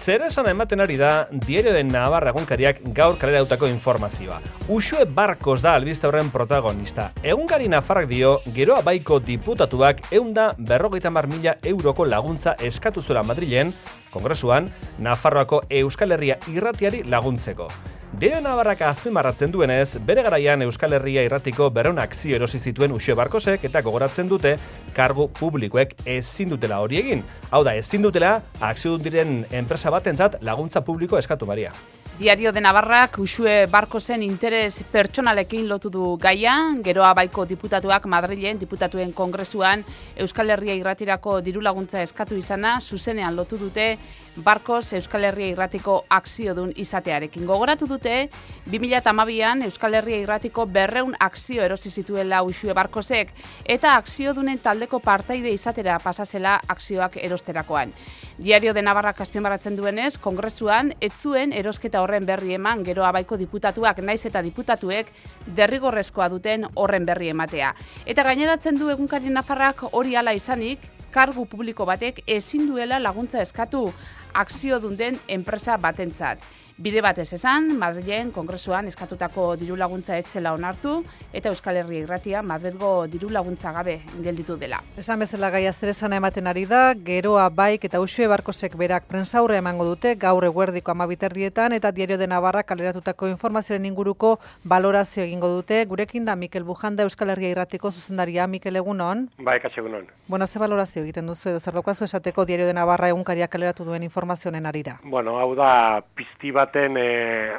Zer esan ematen ari da Diario de Navarra egunkariak gaur kaleratutako informazioa. Uxue Barkos da albiste horren protagonista. Egunkari nafarrak dio, Geroa Baiko diputatuak 150.000 euroko laguntza eskatu zuela Madrilen, Kongresuan, Nafarroako Euskal Herria irratiari laguntzeko. Diario de Navarrak azpimarratzen duenez, bere garaian Euskal Herria irratiko 200 akzio erosi zituen Uxue Barkosek eta gogoratzen dute kargu publikoek ezin dutela hori egin. Hau da, ezin dutela akziodun diren enpresa batentzat laguntza publiko eskatu Maria. Diario de Navarrak Uxue Barkosen interes pertsonalekin lotu du gaia, Geroa Baiko diputatuak Madrilen diputatuen kongresuan Euskal Herria irratirako diru laguntza eskatu izana zuzenean lotu dute Barkos Euskal Herria irratiko akziodun izatearekin. Gogoratu dute 2012an Euskal Herria irratiko 200 akzio erosi zituela Uxue Barkosek eta akziodunen taldeko partaide izatera pasazela akzioak erosterakoan. Diario de Navarrak azpimarratzen duenez, kongresuan ez zuen erosketa horren berri eman Geroa Baiko diputatuak naiz eta diputatuek derrigorrezkoa duten horren berri ematea. Eta gaineratzen du egunkari Nafarrak hori hala izanik, kargu publiko batek ezin duela laguntza eskatu akziodun den enpresa batentzat. Bide batez esan, Madrilen kongresuan eskatutako diru laguntza ez zela onartu eta Euskal Herria irratia mazbelgo diru laguntza gabe gelditu dela. Esan bezala gaia zer esana ematen ari da, Geroa Baik eta Uxue Barkosek berak prentsaurrea emango dute gaur eguerdiko 12:00 eta Diario de Navarra kaleratutako informazioaren inguruko balorazio egingo dute. Gurekin da Mikel Bujanda, Euskal Herria irratiko zuzendaria. Mikel, egunon? Bai, kaixo egunon. Bueno, ze balorazio egiten duzu edo zer daukazu esateko Diario de Navarra egunkariak kaleratu duen informazioaren arira? Bueno, hau da pizti baten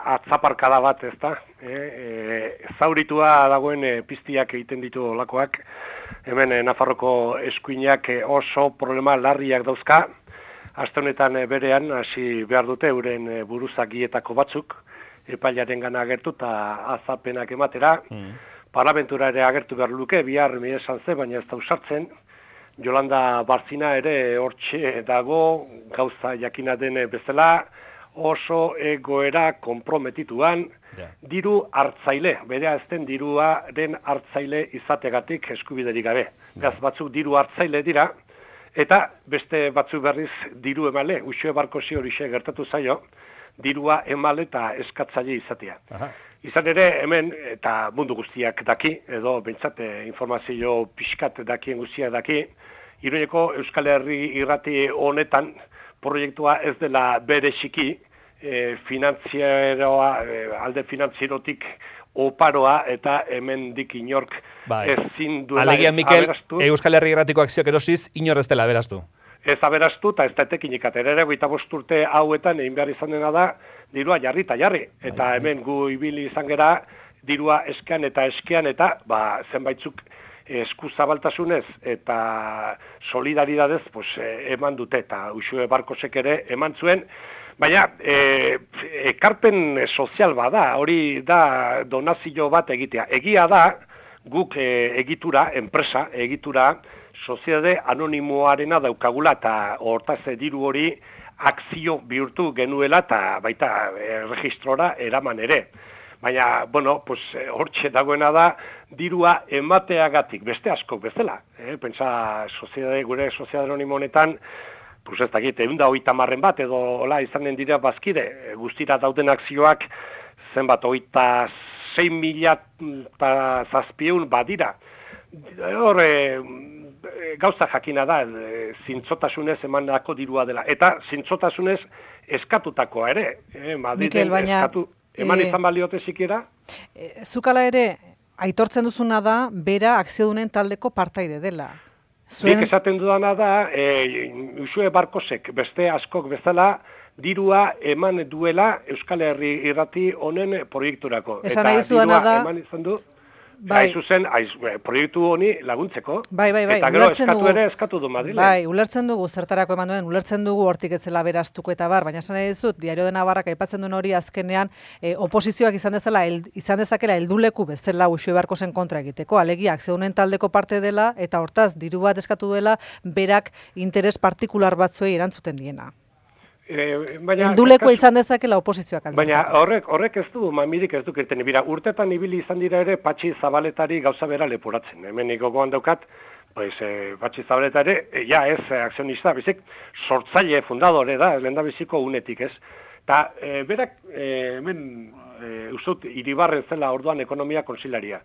atzaparkada bat, ezta? Zauritua dagoen piztiak egiten ditu olakoak. Hemen Nafarroko eskuinak oso problema larriak dauzka. Aste honetan berean hasi behar dute euren buruzagietako batzuk epailarengana agertu eta azapenak ematera. Parlamentura ere agertu behar luke, bihar esan ze, baina ez da usartzen. Jolanda Barzina ere hortxe dago, gauza jakina den bezala, oso egoera konprometituan, diru hartzaile, bere azten diruaren hartzaile izategatik eskubiderik gabe. Gaz batzuk diru hartzaile dira, eta beste batzuk berriz diru emale, Uxue Barkosi horixe gertatu zaio, dirua emale eta eskatzaile izatea. Izan ere, hemen, eta mundu guztiak daki, edo bentsate informazio pixkat dakien guztiak daki, Iruñeko Euskal Herri irrati honetan proiektua ez dela bereziki, alde finantzierotik oparoa eta hemendik inork ezin duela alegia, Mikel, Euskal Herri irratiko akzioak erosiz inor ez dela aberaztu. Ez aberastu eta ez da etekinik atera ere, 25 urte hauetan egin behar izan dena da, dirua jarri eta jarri. Eta hemen gu ibili izan gera, dirua eskean eta zenbaitzuk eskuzabaltasunez eta solidaridadez eman dute eta Uxue Barkosek ere eman zuen. Baina, ekarpen sozial bada, hori da donazio bat egitea. Egia da, guk egitura, enpresa egitura, soziedade anonimoarena daukagula eta hortaz diru hori akzio bihurtu genuela eta baita registrora eraman ere. Baina, hortxe dagoena da, dirua emateagatik, beste askok bezala. Pentsa, gure soziedade anonimo honetan, ez dakit, 130 bat edo hola izanen dira bazkide, guztira dauden akzioak zenbat 26.000 badira. Hor, gauza jakina da, zintzotasunez emandako dirua dela. Eta zintzotasunez eskatutakoa ere. Mikel, baina... Eman izan baliote zikera? Zukala ere, aitortzen duzuna da, bera akziodunen taldeko partaide dela. Nik esaten dudana da, Uxue Barkosek beste askok bezala, dirua eman duela Euskal Herri irrati honen proiekturako. Esan nahi zuena da... Eman izan du, zuzen, proiektu honi laguntzeko. Bai, eta gero eskatu du Madrilen. Bai, ulertzen dugu zertarako eman duen, ulertzen dugu hortik ez zela beraztuko eta baina esan nahi dizut, Diario de Navarrak aipatzen duen hori azkenean oposizioak izan dezakela helduleku bezala Uxue Barkosen kontra egiteko, alegia akziodunen taldeko parte dela eta hortaz diru bat eskatu duela berak interes partikular batzuei erantzuten diena. Heldulekoa izan dezakela oposizioak alde. Baina horrek ez du, mamirik ez du kirten. Bira, urtetan ibili izan dira ere Patxi Zabaletari gauza bera leporatzen. Hemen gogoan daukat, pues Patxi Zabaleta ere, ja ez akzionista, bizik sortzaile fundadore da, lehendabiziko unetik, ez? Eta berak, hemen, ustut, Iribarren zela orduan ekonomia konsilaria.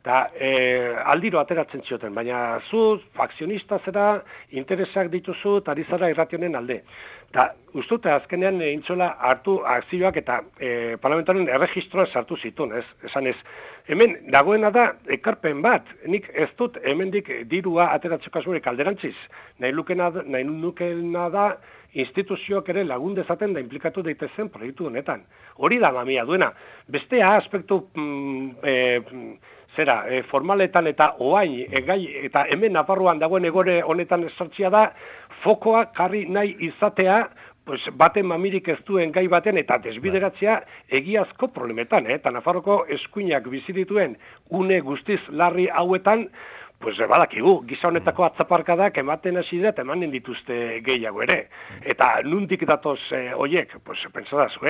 Eta aldiro ateratzen zioten, baina zu akzionista zera, interesak dituzu, eta ari zara irrationen alde. Eta ustut, azkenean intzola hartu akzioak eta parlamentoaren erregistroa sartu zituen, ez? Esan ez, hemen dagoena da ekarpen bat, nik ez dut hemendik dirua ateratzeko asmorik alderantziz. Nahi nukena da instituzioak ere lagun dezaten da implikatu daitezen proiektu honetan. Hori da mamia duena. Bestea aspektu formaletan eta oain eta hemen Nafarroan dagoen egore honetan sortzia da fokoa jarri nahi izatea pues, baten mamirik ez duen gai baten eta desbideratzea egiazko problemetan. Eta Nafarroko eskuinak bizi dituen une guztiz larri hauetan pues badakigu, giza honetako atzaparkadak ematen hasi dira eta emanen dituzte gehiago ere. Eta nundik datoz hoiek, pues pentsadazu,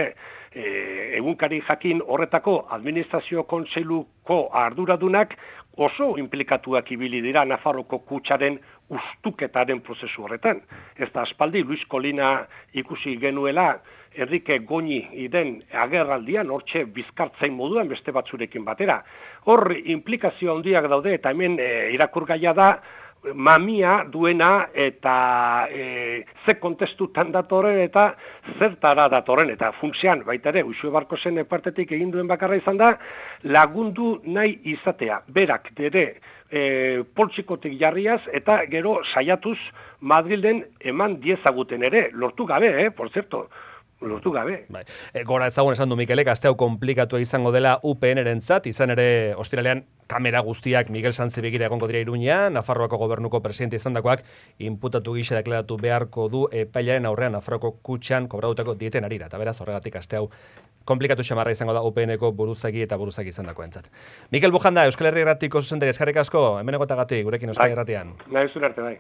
egunkari jakin horretako administrazio kontseiluko arduradunak oso implikatuak ibili dira Nafarroko kutxaren ustuketaren prozesu horretan. Ez da aspaldi Luis Kolina ikusi genuela Enrique Goñi den agerraldian, hortxe bizkartzain moduan beste batzurekin batera. Hor implikazio handiak daude eta hemen irakurgaia da mamia duena eta ze kontestutan datorren eta zertara datorren. Eta funtsean, baita ere, Uxue Barkosen partetik egin duen bakarra izan da, lagundu nahi izatea. Berak ere poltsikotik jarriaz eta gero saiatuz Madrilden eman diezaguten ere, lortu gabe, por cierto. Lortu gabe. Bai. Gora ezagun esan du Mikelek, aste hau komplikatu izango dela UPN-erentzat, izan ere ostiralean kamera guztiak Miguel Sánchez begira egongo dira Iruña, Nafarroako gobernuko presidente izandakoak inputatu gisa deklaratu beharko du epailaren aurrean Nafarroako kutxan kobratutako dieten arira. Eta beraz horregatik aste hau komplikatu xamarra izango da UPN-eko buruzagi eta buruzagi izandakoentzat. Mikel Bujanda, Euskal Herri Irratiko zuzendari, eskerrik asko, hemen egotagatik, gurekin Euskal Herratian. Nahi zure arte, bai.